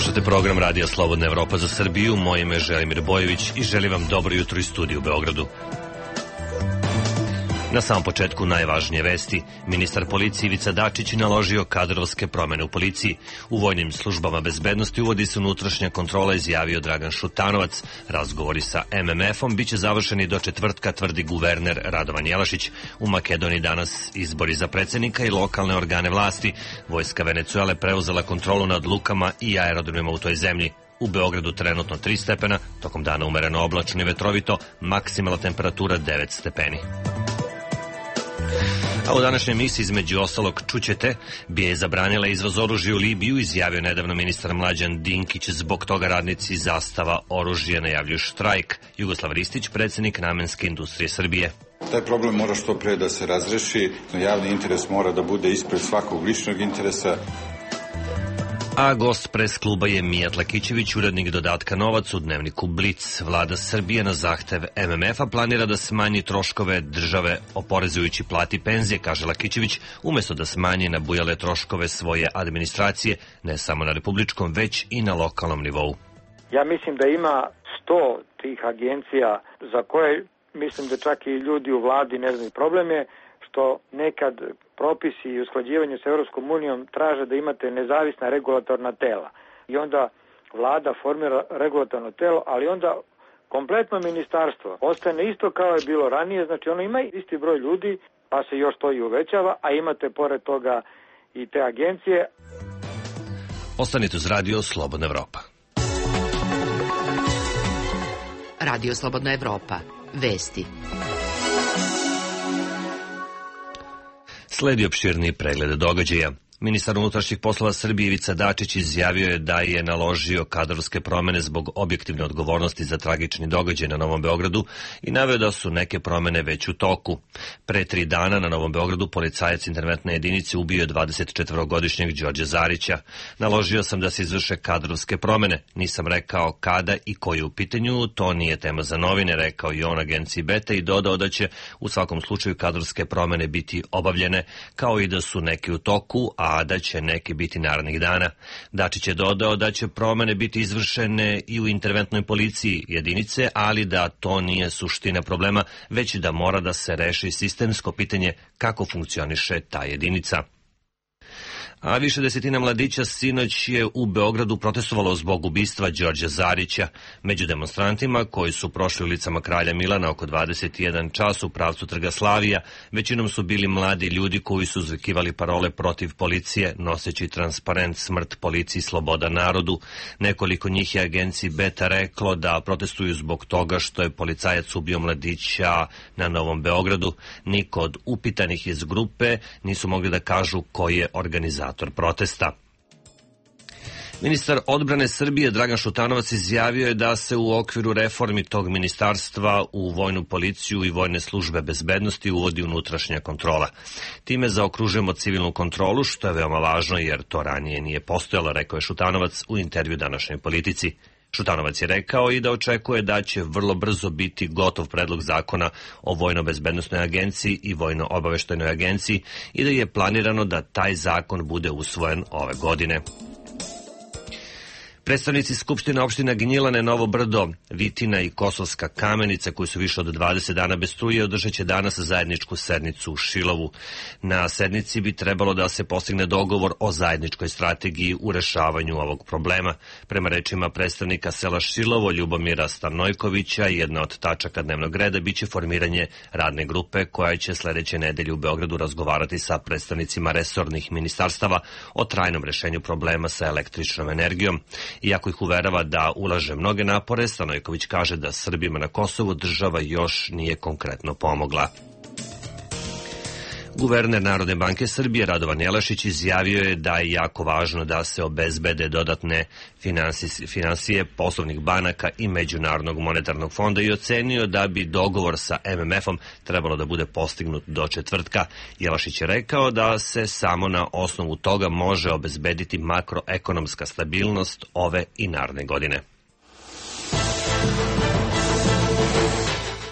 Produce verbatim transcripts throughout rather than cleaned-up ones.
Slušate program Radija Slobodna Evropa za Srbiju. Moje ime je Želimir Bojević i želim vam dobro jutro iz studija u Beogradu. Na samom početku najvažnije vesti. Ministar policije Ivica Dačić naložio kadrovske promene u policiji. U vojnim službama bezbednosti uvodi se unutrašnja kontrola, izjavio Dragan Šutanovac. Razgovori sa em em efom biće završeni do četvrtka, tvrdi guverner Radovan Jelašić. U Makedoniji danas izbori za predsednika i lokalne organe vlasti. Vojska Venecuele preuzela kontrolu nad lukama i aerodromima u toj zemlji. U Beogradu trenutno tri stepena, tokom dana umereno oblačno i vetrovito, maksimalna temperatura devet stepeni. A u današnjoj emisiji između ostalog čućete, B I A je zabranila izvoz oružja u Libiju, izjavio nedavno ministar Mlađan Dinkić, zbog toga radnici Zastava oružja najavljuju štrajk. Jugoslav Ristić, predsjednik Namenske industrije Srbije. Taj problem mora što pre da se razreši, javni interes mora da bude ispred svakog ličnog interesa. A gost pres kluba je Mijat Lakićević, urednik dodatka Novac u dnevniku Blic. Vlada Srbije na zahtev em em efa planira da smanji troškove države oporezujući plati penzije, kaže Lakićević, umesto da smanji nabujale troškove svoje administracije, ne samo na republičkom, već i na lokalnom nivou. Ja mislim da ima sto tih agencija za koje mislim da čak i ljudi u vladi ne znaju. Problem je što nekad propisi i usklađivanje sa Europskom unijom traže da imate nezavisna regulatorna tela. I onda vlada formira regulatorno telo, ali onda kompletno ministarstvo ostane isto kao je bilo ranije, znači ono ima isti broj ljudi, pa se još to i uvećava, a imate pored toga i te agencije. Ostanite uz Radio Slobodna Evropa. Radio Slobodna Evropa. Vesti. Sledi opširni pregled događaja. Ministar unutrašnjih poslova Srbije Ivica Dačić izjavio je da je naložio kadrovske promene zbog objektivne odgovornosti za tragični događaj na Novom Beogradu i naveo da su neke promene već u toku. Pre tri dana na Novom Beogradu policajac interventne jedinice ubio dvadesetčetvorogodišnjeg Đorđa Zarića. Naložio sam da se izvrše kadrovske promene. Nisam rekao kada i koji je u pitanju, to nije tema za novine, rekao i on agenciji Beta i dodao da će u svakom slučaju kadrovske promene biti obavljene, kao i da su neke u toku, a a da će neki biti narednih dana. Dačić je dodao da će promene biti izvršene i u interventnoj policiji jedinice, ali da to nije suština problema, već da mora da se reši sistemsko pitanje kako funkcioniše ta jedinica. A više desetina mladića sinoć je u Beogradu protestovalo zbog ubistva Đorđa Zarića. Među demonstrantima koji su prošli ulicama Kralja Milana oko dvadeset jedan čas u pravcu Trga Slavija, većinom su bili mladi ljudi koji su uzvikivali parole protiv policije, noseći transparent smrt policiji, sloboda narodu. Nekoliko njih je agenciji Beta reklo da protestuju zbog toga što je policajac ubio mladića na Novom Beogradu. Niko od upitanih iz grupe nisu mogli da kažu koji je organizator protesta. Ministar odbrane Srbije Dragan Šutanovac izjavio je da se u okviru reformi tog ministarstva u vojnu policiju i vojne službe bezbednosti uvodi unutrašnja kontrola. Time zaokružujemo civilnu kontrolu, što je veoma važno jer to ranije nije postojalo, rekao je Šutanovac u intervju današnjoj Politici. Šutanovac je rekao i da očekuje da će vrlo brzo biti gotov predlog zakona o vojno-bezbednosnoj agenciji i vojno-obaveštajnoj agenciji i da je planirano da taj zakon bude usvojen ove godine. Predstavnici Skupštine opština Gnjilane, Novo Brdo, Vitina i Kosovska Kamenica, koji su više od dvadeset dana bez struje, održat će danas zajedničku sednicu u Šilovu. Na sednici bi trebalo da se postigne dogovor o zajedničkoj strategiji u rešavanju ovog problema. Prema rečima predstavnika sela Šilovo, Ljubomira Stanojkovića, jedna od tačaka dnevnog reda biće formiranje radne grupe koja će sledeće nedelje u Beogradu razgovarati sa predstavnicima resornih ministarstava o trajnom rešenju problema sa električnom energijom. Iako ih uverava da ulaže mnoge napore, Stanojković kaže da Srbima na Kosovu država još nije konkretno pomogla. Guverner Narodne banke Srbije Radovan Jelašić izjavio je da je jako važno da se obezbede dodatne finansije poslovnih banaka i Međunarodnog monetarnog fonda i ocenio da bi dogovor sa em em efom trebalo da bude postignut do četvrtka. Jelašić je rekao da se samo na osnovu toga može obezbediti makroekonomska stabilnost ove i naredne godine.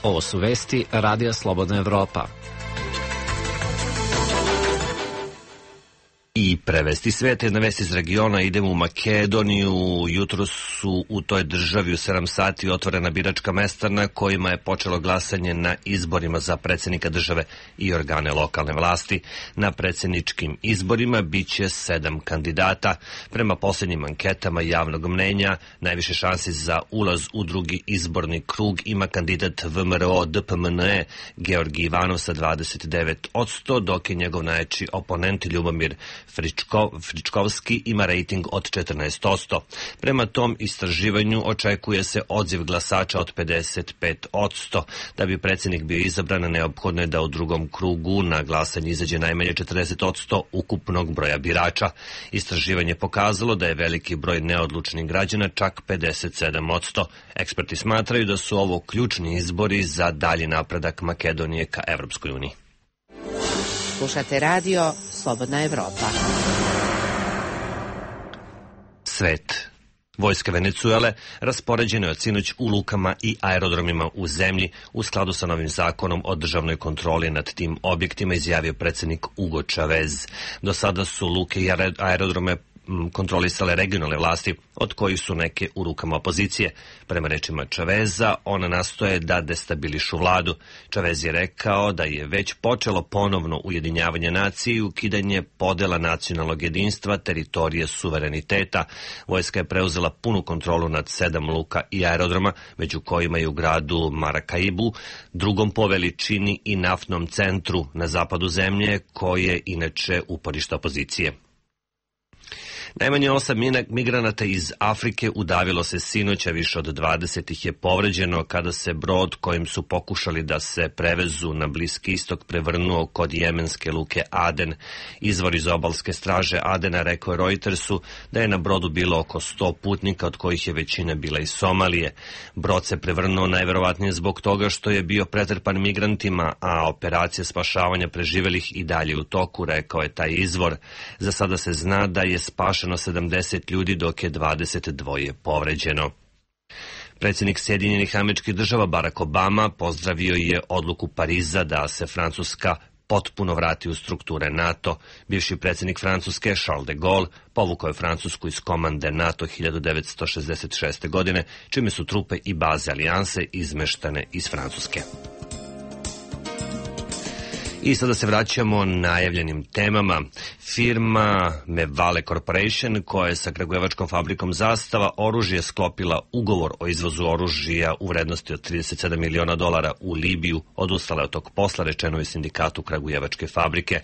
Ovo su vesti Radija Slobodna Evropa. I prevesti svet. Jedna vest iz regiona, idemo u Makedoniju. Jutro su u toj državi u sedam sati otvorena biračka mesta na kojima je počelo glasanje na izborima za predsjednika države i organe lokalne vlasti. Na predsjedničkim izborima biće sedam kandidata. Prema posljednjim anketama javnog mnenja, najviše šansi za ulaz u drugi izborni krug ima kandidat V M R O D P M N E Georgi Ivanov sa dvadeset devet posto, dok je njegov najjači oponent Ljubomir Fričko, Fričkovski ima rejting od četrnaest posto. Prema tom istraživanju očekuje se odziv glasača od pedeset pet posto. Da bi predsjednik bio izabran, neophodno je da u drugom krugu na glasanje izađe najmanje četrdeset posto ukupnog broja birača. Istraživanje pokazalo da je veliki broj neodlučnih građana, čak pedeset sedam posto. Eksperti smatraju da su ovo ključni izbori za dalji napredak Makedonije ka Evropskoj uniji. Slušate radio Slobodna Evropa. Svet. Vojska Venecuele raspoređena je od sinoć u lukama i aerodromima u zemlji u skladu sa novim zakonom o državnoj kontroli nad tim objektima, izjavio predsjednik Hugo Chavez. Do sada su luke i aerodrome kontrolisale regionalne vlasti, od kojih su neke u rukama opozicije. Prema rečima Chaveza, ona nastoje da destabilišu vladu. Chavez je rekao da je već počelo ponovno ujedinjavanje nacije i ukidanje podela nacionalnog jedinstva, teritorije, suvereniteta. Vojska je preuzela punu kontrolu nad sedam luka i aerodroma, među kojima je u gradu Maracaibu, drugom po veličini i naftnom centru na zapadu zemlje, koje je inače uporište opozicije. Najmanje osam migranata iz Afrike udavilo se sinoć, a više od dvadeset ih je povređeno kada se brod kojim su pokušali da se prevezu na Bliski istok prevrnuo kod jemenske luke Aden. Izvor iz obalske straže Adena rekao je Reutersu da je na brodu bilo oko sto putnika, od kojih je većina bila iz Somalije. Brod se prevrnuo najverovatnije zbog toga što je bio pretrpan migrantima, a operacija spašavanja preživelih i dalje u toku, rekao je taj izvor. Za sada se zna da je spašeno sedamdeset ljudi, dok je dvadeset dva povređeno. Predsjednik Sjedinjenih Američkih Država Barack Obama pozdravio je odluku Pariza da se Francuska potpuno vrati u strukture NATO. Bivši predsjednik Francuske Charles de Gaulle povukao je Francusku iz komande NATO hiljadu devetsto šezdeset šeste. godine, čime su trupe i baze alijanse izmeštane iz Francuske. I sada se vraćamo najavljenim temama. Firma Mevale Corporation, koja je sa kragujevačkom fabrikom Zastava oružje sklopila ugovor o izvozu oružja u vrednosti od trideset sedam miliona dolara u Libiju, odustala od tog posla, rečeno je sindikatu kragujevačke fabrike.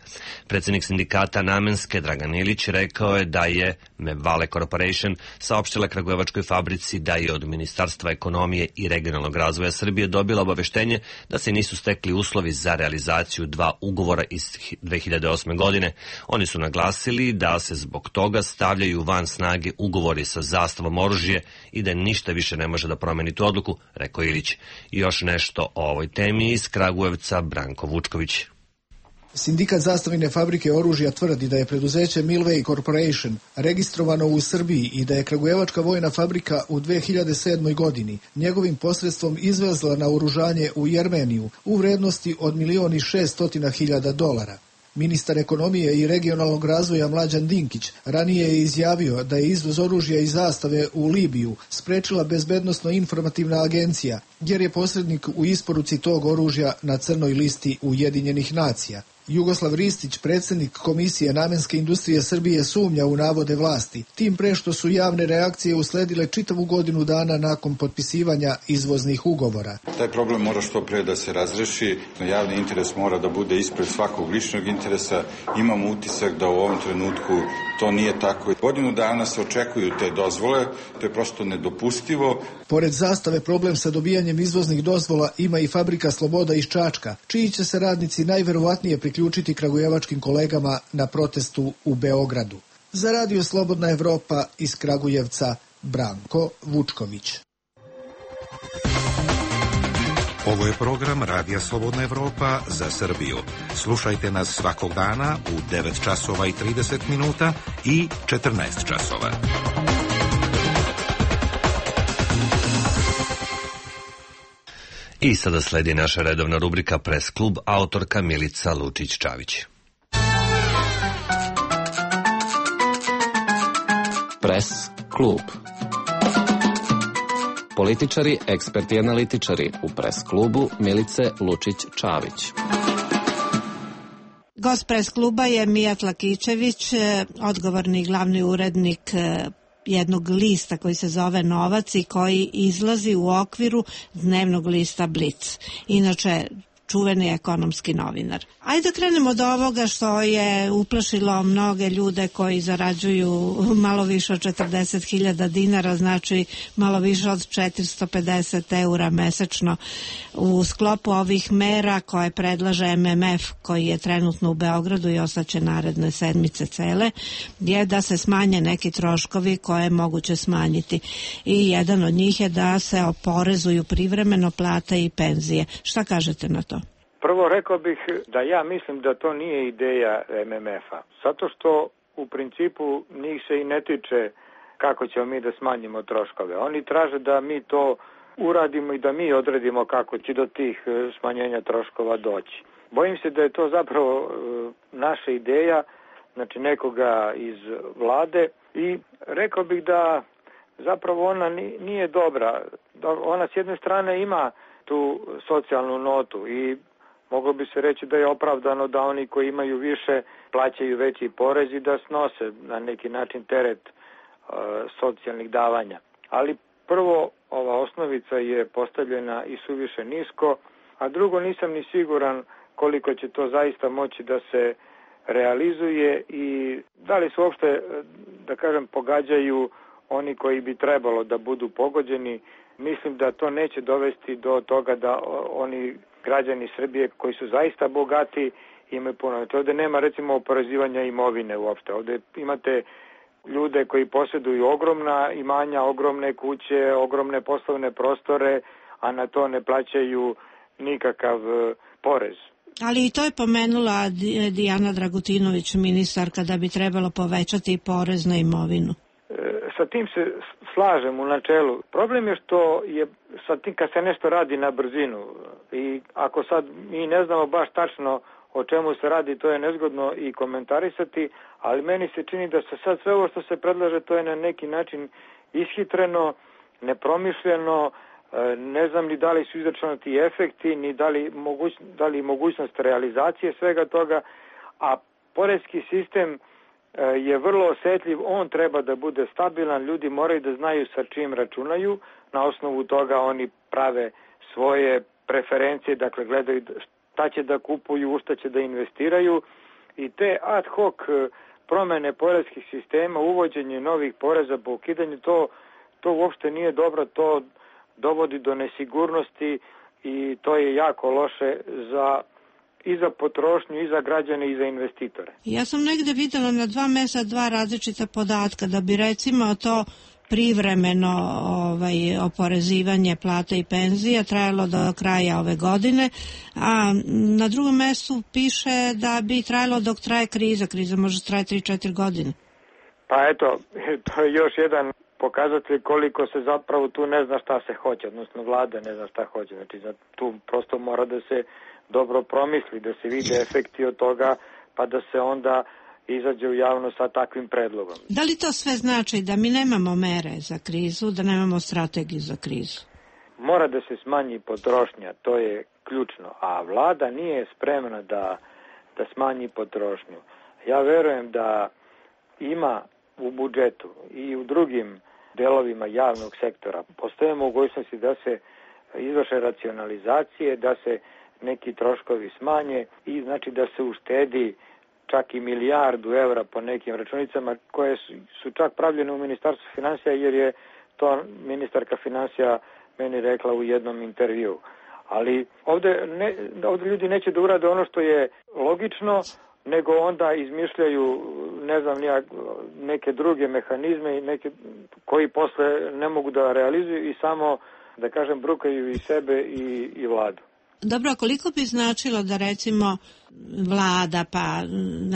Predsjednik sindikata Namenske Dragan Ilić rekao je da je Mevale Corporation saopštila kragujevačkoj fabrici da je od Ministarstva ekonomije i regionalnog razvoja Srbije dobila obaveštenje da se nisu stekli uslovi za realizaciju dva ugovora iz dve hiljade osme. godine. Oni su naglasili da se zbog toga stavljaju van snage ugovori sa Zastavom oružje i da ništa više ne može da promeni tu odluku, rekao Ilić. I još nešto o ovoj temi iz Kragujevca, Branko Vučković. Sindikat Zastavine fabrike oružja tvrdi da je preduzeće Milway Corporation registrovano u Srbiji i da je kragujevačka vojna fabrika u dve hiljade sedmoj. godini njegovim posredstvom izvezla na oružanje u Jermeniju u vrednosti od milion i šeststotina hiljada dolara. Ministar ekonomije i regionalnog razvoja Mlađan Dinkić ranije je izjavio da je izvoz oružja iz Zastave u Libiju sprečila Bezbednosno-informativna agencija, jer je posrednik u isporuci tog oružja na crnoj listi Ujedinjenih nacija. Jugoslav Ristić, predsjednik Komisije namenske industrije Srbije, sumnja u navode vlasti, tim pre što su javne reakcije usledile čitavu godinu dana nakon potpisivanja izvoznih ugovora. Taj problem mora što pre da se razreši, javni interes mora da bude ispred svakog ličnog interesa. Imamo utisak da u ovom trenutku to nije tako. Godinu dana se očekuju te dozvole, to je prosto nedopustivo. Pored Zastave, problem sa dobijanjem izvoznih dozvola ima i fabrika Sloboda iz Čačka, čiji će se radnici najverovatnije priključiti kragujevačkim kolegama na protestu u Beogradu. Za radio Slobodna Evropa iz Kragujevca, Branko Vučković. Ovo je program Radija Slobodna Evropa za Srbiju. Slušajte nas svakog dana u devet časova i trideset minuta i četrnaest časova. I sada sledi naša redovna rubrika Pres klub, autorka Milica Lučić-Čavić. Press klub. Političari, eksperti i analitičari u Press klubu Milice Lučić-Čavić. Gost Press kluba je Mijat Lakićević, odgovorni glavni urednik jednog lista koji se zove Novac i koji izlazi u okviru dnevnog lista Blic. Inače, čuveni ekonomski novinar. Ajde da krenemo od ovoga što je uplašilo mnoge ljude koji zarađuju malo više od četrdeset hiljada dinara, znači malo više od četiristo pedeset eura mesečno. U sklopu ovih mera koje predlaže M M F, koji je trenutno u Beogradu i ostaće naredne sedmice cele, je da se smanje neki troškovi koje je moguće smanjiti. I jedan od njih je da se oporezuju privremeno plate i penzije. Šta kažete na to? Prvo rekao bih da ja mislim da to nije ideja M M F-a, zato što u principu njih se i ne tiče kako ćemo mi da smanjimo troškove. Oni traže da mi to uradimo i da mi odredimo kako će do tih smanjenja troškova doći. Bojim se da je to zapravo naša ideja, znači nekoga iz vlade, i rekao bih da zapravo ona nije dobra. Ona s jedne strane ima tu socijalnu notu i moglo bi se reći da je opravdano da oni koji imaju više plaćaju veći porez i da snose na neki način teret e, socijalnih davanja. Ali prvo, ova osnovica je postavljena i suviše nisko, a drugo, nisam ni siguran koliko će to zaista moći da se realizuje i da li se uopšte, da kažem, pogađaju oni koji bi trebalo da budu pogođeni. Mislim da to neće dovesti do toga da oni građani Srbije koji su zaista bogati imaju puno. Ovde nema recimo oporezivanja imovine uopšte. Ovde imate ljude koji posjeduju ogromna imanja, ogromne kuće, ogromne poslovne prostore, a na to ne plaćaju nikakav porez. Ali i to je pomenula Dijana Dragutinović, ministarka, da bi trebalo povećati porez na imovinu. Sa tim se slažem u načelu. Problem je što je sa tim kad se nešto radi na brzinu i ako sad mi ne znamo baš tačno o čemu se radi, to je nezgodno i komentarisati, ali meni se čini da se sad sve ovo što se predlaže, to je na neki način ishitreno, nepromišljeno, ne znam ni da li su izračunati efekti, ni da li, moguć, da li mogućnost realizacije svega toga, a poreski sistem je vrlo osetljiv, on treba da bude stabilan, ljudi moraju da znaju sa čim računaju, na osnovu toga oni prave svoje preferencije, dakle gledaju šta će da kupuju, u šta će da investiraju i te ad hoc promene poreskih sistema, uvođenje novih poreza po ukidanju, to, to uopšte nije dobro, to dovodi do nesigurnosti i to je jako loše za i za potrošnju, i za građane, i za investitore. Ja sam negde videla na dva mesta dva različita podatka, da bi recimo to privremeno ovaj, oporezivanje plata i penzija trajalo do kraja ove godine, a na drugom mestu piše da bi trajalo dok traje kriza. Kriza može trajati tri do četiri godine. Pa eto, to je još jedan pokazatelj koliko se zapravo tu ne zna šta se hoće, odnosno vlada ne zna šta hoće. Znači tu prosto mora da se dobro promisli, da se vide efekti od toga, pa da se onda izađe u javnost sa takvim predlogom. Da li to sve znači da mi nemamo mere za krizu, da nemamo strategiju za krizu? Mora da se smanji potrošnja, to je ključno, a vlada nije spremna da, da smanji potrošnju. Ja verujem da ima u budžetu i u drugim delovima javnog sektora postoje mogućnosti da se izvrše racionalizacije, da se neki troškovi smanje i znači da se uštedi čak i milijardu evra po nekim računicama koje su, su čak pravljene u Ministarstvu finansija, jer je to ministarka finansija meni rekla u jednom intervju. Ali ovde, ne, ovde ljudi neće da urade ono što je logično, nego onda izmišljaju, ne znam, neke druge mehanizme neke, koji posle ne mogu da realizuju i samo, da kažem, brukaju i sebe i, i vladu. Dobro, a koliko bi značilo da recimo vlada, pa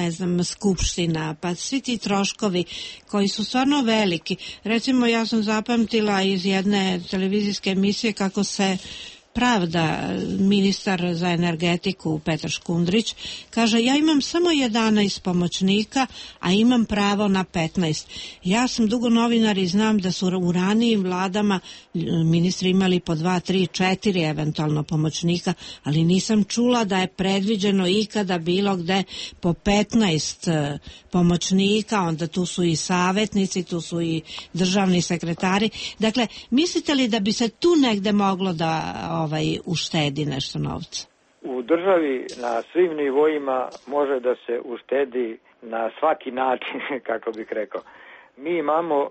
ne znam, skupština, pa svi ti troškovi koji su stvarno veliki. Recimo ja sam zapamtila iz jedne televizijske emisije kako se pravda ministar za energetiku Petar Škundrić. Kaže, ja imam samo jedanaest pomoćnika, a imam pravo na petnaest. Ja sam dugo novinar i znam da su u ranijim vladama ministri imali po dva, tri, četiri eventualno pomoćnika, ali nisam čula da je predviđeno ikada bilo gde po petnaest pomoćnika, onda tu su i savjetnici, tu su i državni sekretari. Dakle, mislite li da bi se tu negde moglo da ovaj, uštedi nešto novca? U državi na svim nivoima može da se uštedi na svaki način, kako bih rekao. Mi imamo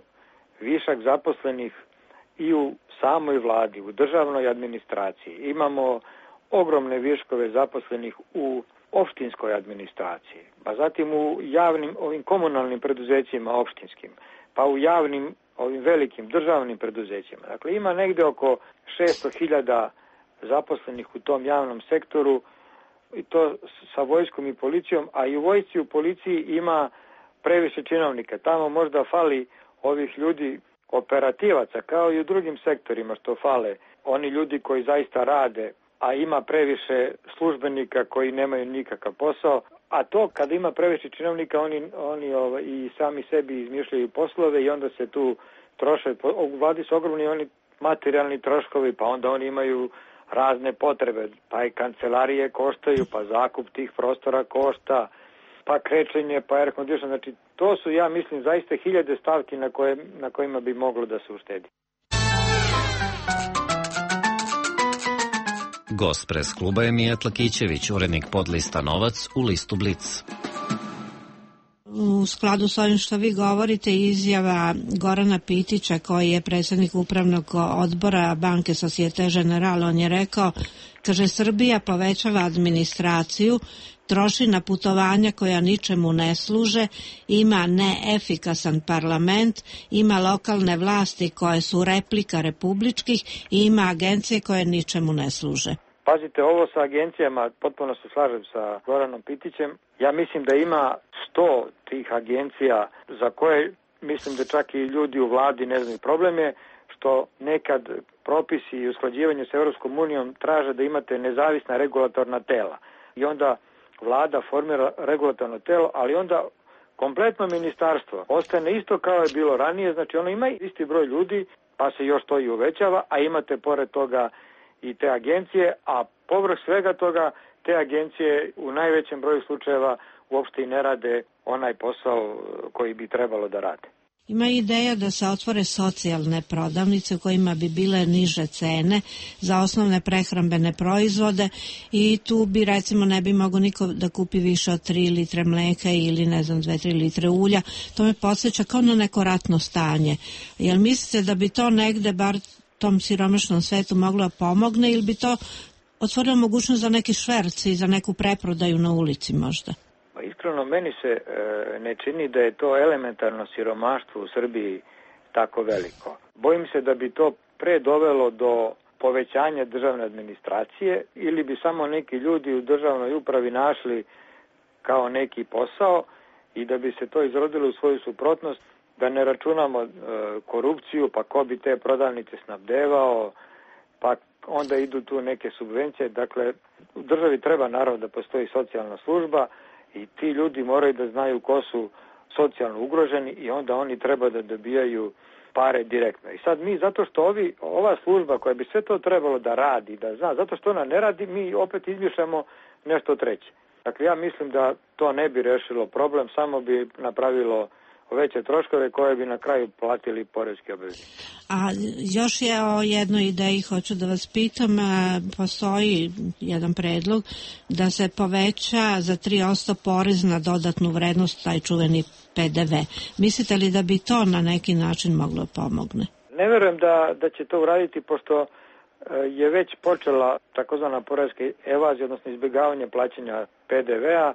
višak zaposlenih i u samoj vladi, u državnoj administraciji. Imamo ogromne viškove zaposlenih u opštinskoj administraciji, pa zatim u javnim, ovim komunalnim preduzećima opštinskim, pa u javnim, ovim velikim državnim preduzećima. Dakle, ima negde oko šesto hiljada zaposlenih u tom javnom sektoru, i to sa vojskom i policijom, a i u vojsci i u policiji ima previše činovnika. Tamo možda fali ovih ljudi operativaca, kao i u drugim sektorima što fale. Oni ljudi koji zaista rade, a ima previše službenika koji nemaju nikakav posao, a to kada ima previše činovnika, oni, oni ovaj, i sami sebi izmišljaju poslove i onda se tu troše. U vladi su ogromni oni materijalni troškovi, pa onda oni imaju razne potrebe, pa i kancelarije koštaju, pa zakup tih prostora košta, pa krečenje, pa air condition. Znači, to su, ja mislim, zaista hiljade stavki na, koje, na kojima bi moglo da se uštedi. Gost pres kluba je Mijat Lakićević, urednik podlista Novac u listu Blic. U skladu s ovim što vi govorite, izjava Gorana Pitića, koji je predsjednik upravnog odbora banke Societe Generale, on je rekao, kaže, Srbija povećava administraciju, troši na putovanja koja ničemu ne služe, ima neefikasan parlament, ima lokalne vlasti koje su replika republičkih i ima agencije koje ničemu ne služe. Pazite, ovo sa agencijama, potpuno se slažem sa Goranom Pitićem. Ja mislim da ima sto tih agencija za koje mislim da čak i ljudi u vladi ne znaju. Problem je što nekad propisi i usklađivanje s Evropskom unijom traže da imate nezavisna regulatorna tela. I onda vlada formira regulatorno telo, ali onda kompletno ministarstvo ostane isto kao je bilo ranije. Znači ono ima isti broj ljudi, pa se još to i uvećava, a imate pored toga i te agencije, a povrh svega toga te agencije u najvećem broju slučajeva uopšte i ne rade onaj posao koji bi trebalo da rade. Ima ideja da se otvore socijalne prodavnice u kojima bi bile niže cene za osnovne prehrambene proizvode i tu bi recimo ne bi mogao niko da kupi više od tri litre mleka ili ne znam dve, tri litre ulja. To me podsjeća kao na neko ratno stanje. Jel mislite da bi to negde bar tom siromašnom svetu moglo da pomogne ili bi to otvorilo mogućnost za neki šverci i za neku preprodaju na ulici možda? Pa iskreno, meni se e, ne čini da je to elementarno siromaštvo u Srbiji tako veliko. Bojim se da bi to pre dovelo do povećanja državne administracije ili bi samo neki ljudi u državnoj upravi našli kao neki posao i da bi se to izrodilo u svoju suprotnost, da ne računamo e, korupciju, pa ko bi te prodavnice snabdevao, pa onda idu tu neke subvencije. Dakle, u državi treba naravno da postoji socijalna služba i ti ljudi moraju da znaju ko su socijalno ugroženi i onda oni treba da dobijaju pare direktno. I sad mi, zato što ovi, ova služba koja bi sve to trebalo da radi, da zna, zato što ona ne radi, mi opet izmišljamo nešto treće. Dakle, ja mislim da to ne bi rešilo problem, samo bi napravilo veće troškove koje bi na kraju platili poreski obveznici. A još je o jednoj ideji hoću da vas pitam, postoji jedan predlog da se poveća za tri posto porez na dodatnu vrednost, taj čuveni P D V. Mislite li da bi to na neki način moglo pomogne? Ne verujem da, da će to uraditi, pošto je već počela takozvana poreska evazija, odnosno izbjegavanje plaćanja P D V-a.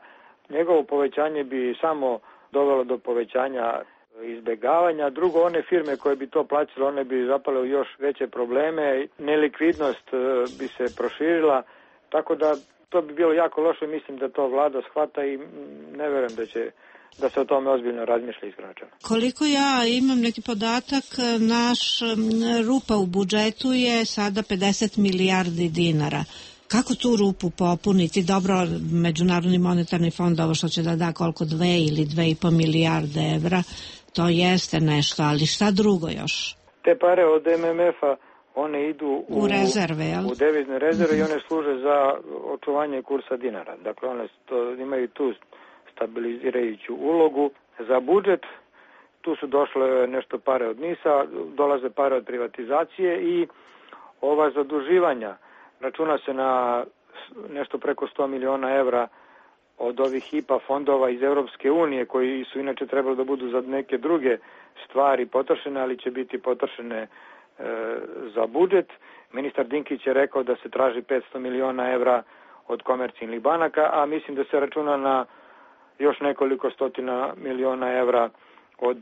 Njegovo povećanje bi samo dovelo do povećanja izbjegavanja. Drugo, one firme koje bi to plaćale, one bi zapale u još veće probleme, nelikvidnost bi se proširila, tako da to bi bilo jako loše. Mislim da to vlada shvata i ne verujem da će da se o tome ozbiljno razmišlja iskreno. Koliko ja imam neki podatak, naš rupa u budžetu je sada pedeset milijardi dinara. Kako tu rupu popuniti? Dobro, Međunarodni monetarni fond, ovo što će da da koliko dve ili dve i po milijarde evra, to jeste nešto, ali šta drugo još? Te pare od em em ef-a, one idu u, u rezerve, jel? U devizne rezerve i one služe za očuvanje kursa dinara. Dakle, one to, imaju tu stabilizirajuću ulogu za budžet. Tu su došle nešto pare od NIS-a, dolaze pare od privatizacije i ova zaduživanja računa se na nešto preko sto miliona evra od ovih I P A fondova iz Europske unije, koji su inače trebali da budu za neke druge stvari potrošene, ali će biti potrošene e, za budžet. Ministar Dinkić je rekao da se traži petsto miliona evra od komercijalnih banaka, a mislim da se računa na još nekoliko stotina miliona evra od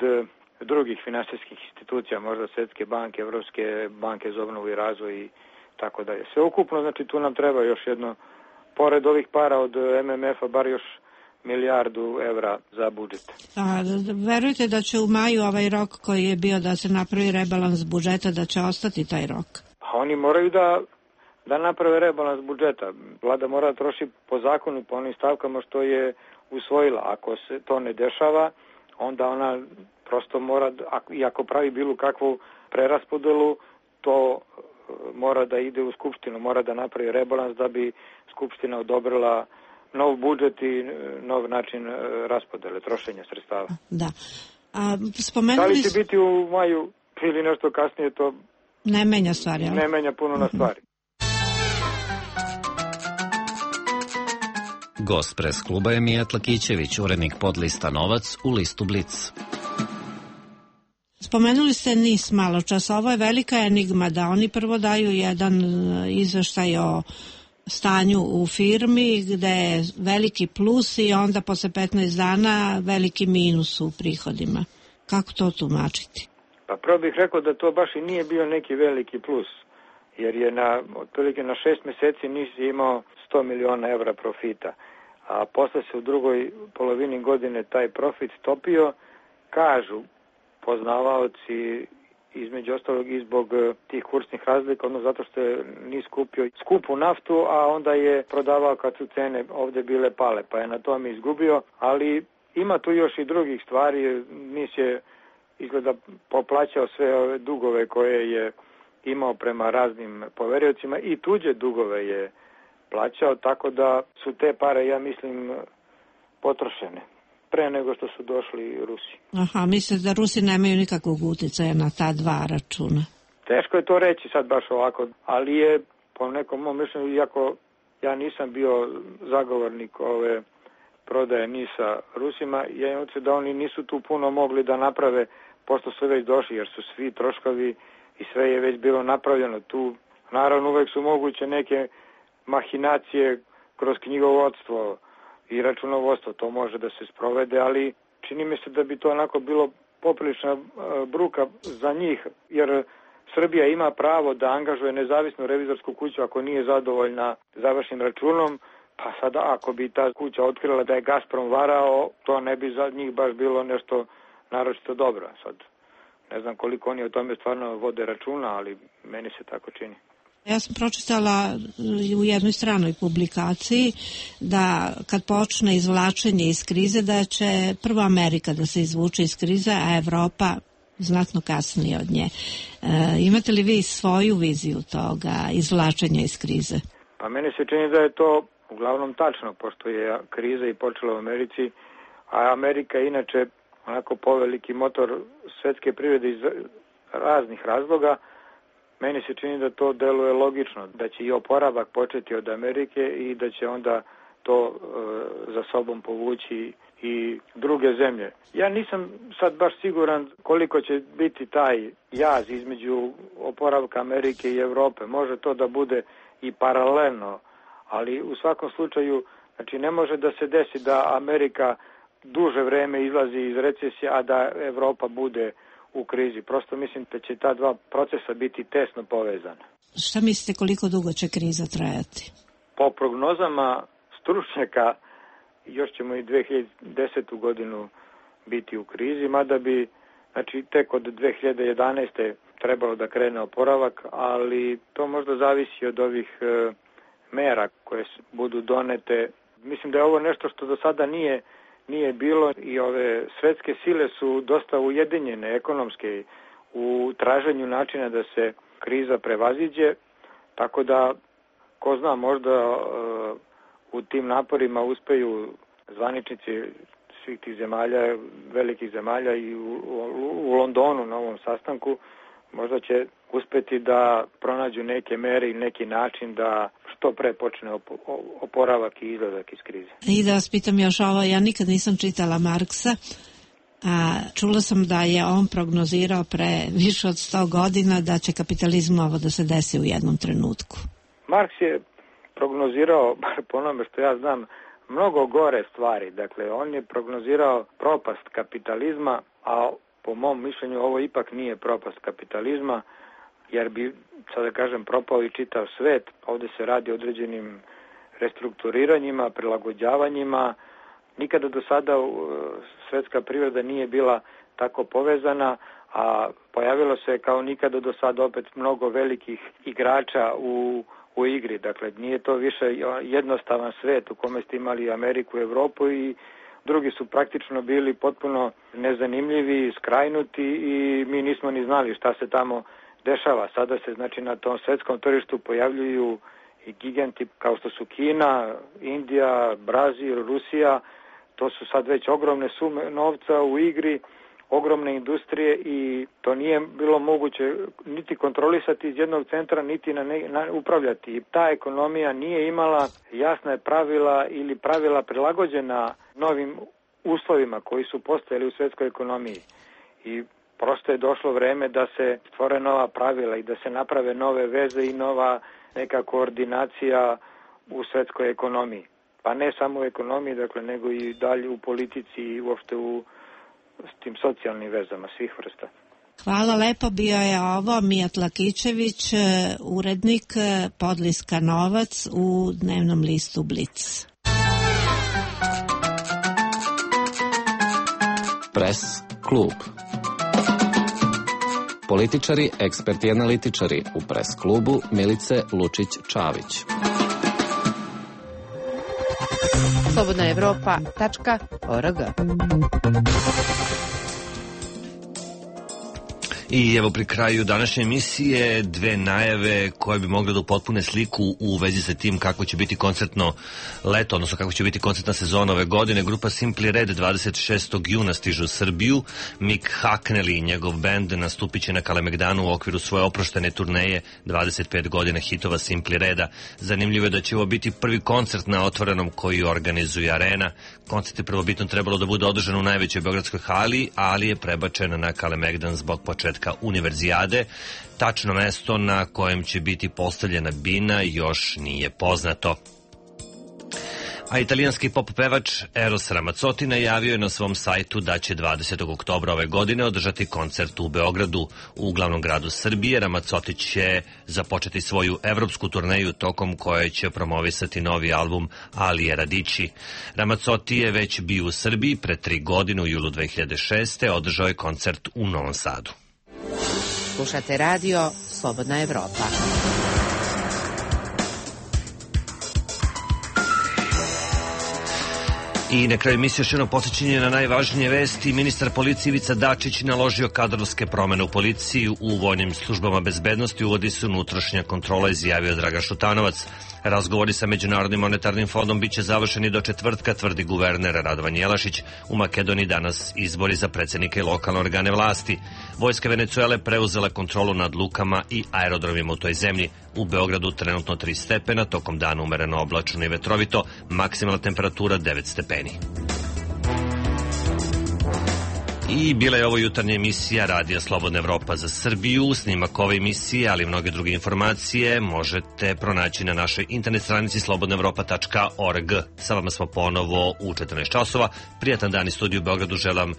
drugih finansijskih institucija, možda Svetske banke, Evropske banke za obnovu i razvoj i tako dalje. Sve ukupno, znači tu nam treba još jedno, pored ovih para od em em ef-a, bar još milijardu evra za budžet. A verujete da će u maju ovaj rok koji je bio da se napravi rebalans budžeta, da će ostati taj rok? Pa oni moraju da, da naprave rebalans budžeta. Vlada mora da troši po zakonu, po onim stavkama što je usvojila. Ako se to ne dešava, onda ona prosto mora, i ako pravi bilo kakvu preraspodelu, to mora da ide u Skupštinu, mora da napravi rebalans da bi Skupština odobrila nov budžet i nov način raspodele, trošenja sredstava. Da. A, spomenuli... Da li će biti u maju ili nešto kasnije, to ne menja stvari, ali? Ne menja puno na stvari. Gost pres kluba je Mijat Lakićević, urednik podlista Novac u listu Blic. Spomenuli ste NIS malo čas, ovo je velika enigma da oni prvo daju jedan izveštaj o stanju u firmi gde je veliki plus i onda posle petnaest dana veliki minus u prihodima. Kako to tumačiti? Pa prvo bih rekao da to baš i nije bio neki veliki plus, jer je na, otprilike na šest meseci NIS imao sto miliona evra profita, a posle se u drugoj polovini godine taj profit stopio, kažu poznavaoci, između ostalog i zbog tih kursnih razlika, odnosno zato što je NIS kupio skupu naftu, a onda je prodavao kad su cene ovde bile pale, pa je na tome izgubio, ali ima tu još i drugih stvari. NIS je izgleda poplaćao sve ove dugove koje je imao prema raznim poveriocima i tuđe dugove je plaćao, tako da su te pare, ja mislim, potrošene pre nego što su došli Rusi. Aha, mislite da Rusi nemaju nikakvog uticaja na ta dva računa? Teško je to reći sad baš ovako, ali je po nekom mom mišljenju, iako ja nisam bio zagovornik ove prodaje NIS-a Rusima, ja imam se da oni nisu tu puno mogli da naprave, pošto su već došli, jer su svi troškovi i sve je već bilo napravljeno. Tu naravno uvek su moguće neke mahinacije kroz knjigovodstvo i računovodstvo, to može da se sprovede, ali čini mi se da bi to onako bilo poprilična bruka za njih, jer Srbija ima pravo da angažuje nezavisnu revizorsku kuću ako nije zadovoljna završnim računom, pa sada ako bi ta kuća otkrila da je Gazprom varao, to ne bi za njih baš bilo nešto naročito dobro. Sad ne znam koliko oni o tome stvarno vode računa, ali meni se tako čini. Ja sam pročitala u jednoj stranoj publikaciji da kad počne izvlačenje iz krize, da će prvo Amerika da se izvuče iz krize, a Evropa znatno kasnije od nje. E, imate li vi svoju viziju toga izvlačenja iz krize? Pa meni se čini da je to uglavnom tačno, pošto je kriza i počela u Americi, a Amerika je inače onako poveliki motor svetske privrede iz raznih razloga. Meni se čini da to deluje logično, da će i oporavak početi od Amerike i da će onda to e, za sobom povući i druge zemlje. Ja nisam sad baš siguran koliko će biti taj jaz između oporavka Amerike i Evrope. Može to da bude i paralelno, ali u svakom slučaju, znači ne može da se desi da Amerika duže vreme izlazi iz recesije, a da Evropa bude u krizi. Prosto mislim da će ta dva procesa biti tesno povezana. Šta mislite koliko dugo će kriza trajati? Po prognozama stručnjaka još ćemo i dve hiljade desetu godinu biti u krizi, mada bi, znači, tek od dve hiljade jedanaeste trebalo da krene oporavak, ali to možda zavisi od ovih e, mera koje budu donete. Mislim da je ovo nešto što do sada nije, nije bilo i ove svetske sile su dosta ujedinjene ekonomske u traženju načina da se kriza prevaziđe, tako da, ko zna, možda e, u tim naporima uspeju zvaničnici svih tih zemalja, velikih zemalja i u, u, u Londonu na ovom sastanku, možda će uspeti da pronađu neke mere i neki način da što pre počne oporavak i izlazak iz krize. I da vas pitam još ovo, ja nikad nisam čitala Marksa, a čula sam da je on prognozirao pre više od sto godina da će kapitalizmu ovo da se desi u jednom trenutku. Marks je prognozirao, bar po onome što ja znam, mnogo gore stvari. Dakle, on je prognozirao propast kapitalizma, a po mom mišljenju ovo ipak nije propast kapitalizma, jer bi, sad da kažem, propao i čitav svet. Ovde se radi o određenim restrukturiranjima, prilagođavanjima. Nikada do sada svetska privreda nije bila tako povezana, a pojavilo se kao nikada do sada opet mnogo velikih igrača u, u igri. Dakle, nije to više jednostavan svet u kome ste imali Ameriku i Evropu i drugi su praktično bili potpuno nezanimljivi, skrajnuti i mi nismo ni znali šta se tamo dešava. Sada se, znači, na tom svetskom tržištu pojavljuju i giganti kao što su Kina, Indija, Brazil, Rusija. To su sad već ogromne sume novca u igri, ogromne industrije i to nije bilo moguće niti kontrolisati iz jednog centra, niti na ne, na, upravljati. I ta ekonomija nije imala jasne pravila ili pravila prilagođena novim uslovima koji su postojali u svetskoj ekonomiji. I prosto je došlo vreme da se stvore nova pravila i da se naprave nove veze i nova neka koordinacija u svetskoj ekonomiji. Pa ne samo u ekonomiji, dakle, nego i dalje u politici i uopšte u s tim socijalnim vezama svih vrsta. Hvala lepo, bio je ovo Mijat Lakićević, urednik podliska Novac u dnevnom listu Blic. Pres klub. Političari, eksperti i analitičari u Pres klubu Milice Lučić-Čavić. slobodna evropa tačka org. I evo pri kraju današnje emisije dve najave koje bi mogle da upotpune sliku u vezi sa tim kako će biti koncertno leto, odnosno kako će biti koncertna sezona ove godine. Grupa Simply Red dvadeset šestog juna stiže u Srbiju. Mick Hucknall i njegov bend nastupit će na Kalemegdanu u okviru svoje oproštene turneje dvadeset pet godina hitova Simply Reda. Zanimljivo je da će ovo biti prvi koncert na otvorenom koji organizuje Arena. Koncert je prvobitno trebalo da bude održan u najvećoj beogradskoj hali, ali je prebačen na Kalemegdan zbog početka Univerzijade. Tačno mesto na kojem će biti postavljena bina još nije poznato. A italijanski pop pevač Eros Ramazzotti najavio je na svom sajtu da će dvadesetog oktobra ove godine održati koncert u Beogradu. U glavnom gradu Srbije Ramazzotti će započeti svoju evropsku turneju tokom koje će promovisati novi album Alije Radići. Ramazzotti je već bio u Srbiji pre tri godine u julu dve hiljade šeste. Održao je koncert u Novom Sadu. Slušate radio Slobodna Evropa. I na kraju emisije još jedno podsjećanje na najvažnije vesti. Ministar policije Ivica Dačić naložio kadrovske promene u policiji. U vojnim službama bezbednosti uvodi se unutrašnja kontrola, izjavio Dragan Šutanovac. Razgovori sa Međunarodnim monetarnim fondom biće završeni do četvrtka, tvrdi guverner Radovan Jelašić. U Makedoniji danas izbori za predsjednike i lokalne organe vlasti. Vojska Venecuele preuzela kontrolu nad lukama i aerodromima u toj zemlji. U Beogradu trenutno tri stepena, tokom dana umereno oblačno i vetrovito, maksimalna temperatura devet stepeni. I bila je ovo jutarnja emisija Radija Slobodna Evropa za Srbiju. Snimak ove emisije, ali i mnoge druge informacije možete pronaći na našoj internet stranici slobodna evropa tačka org. Sa vama smo ponovo u četrnaest časova. Prijatan dan iz studiju u Beogradu želim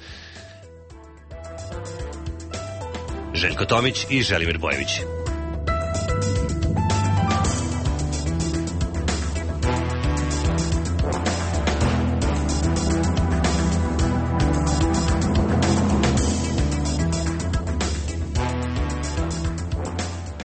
Željko Tomić i Želimir Bojević.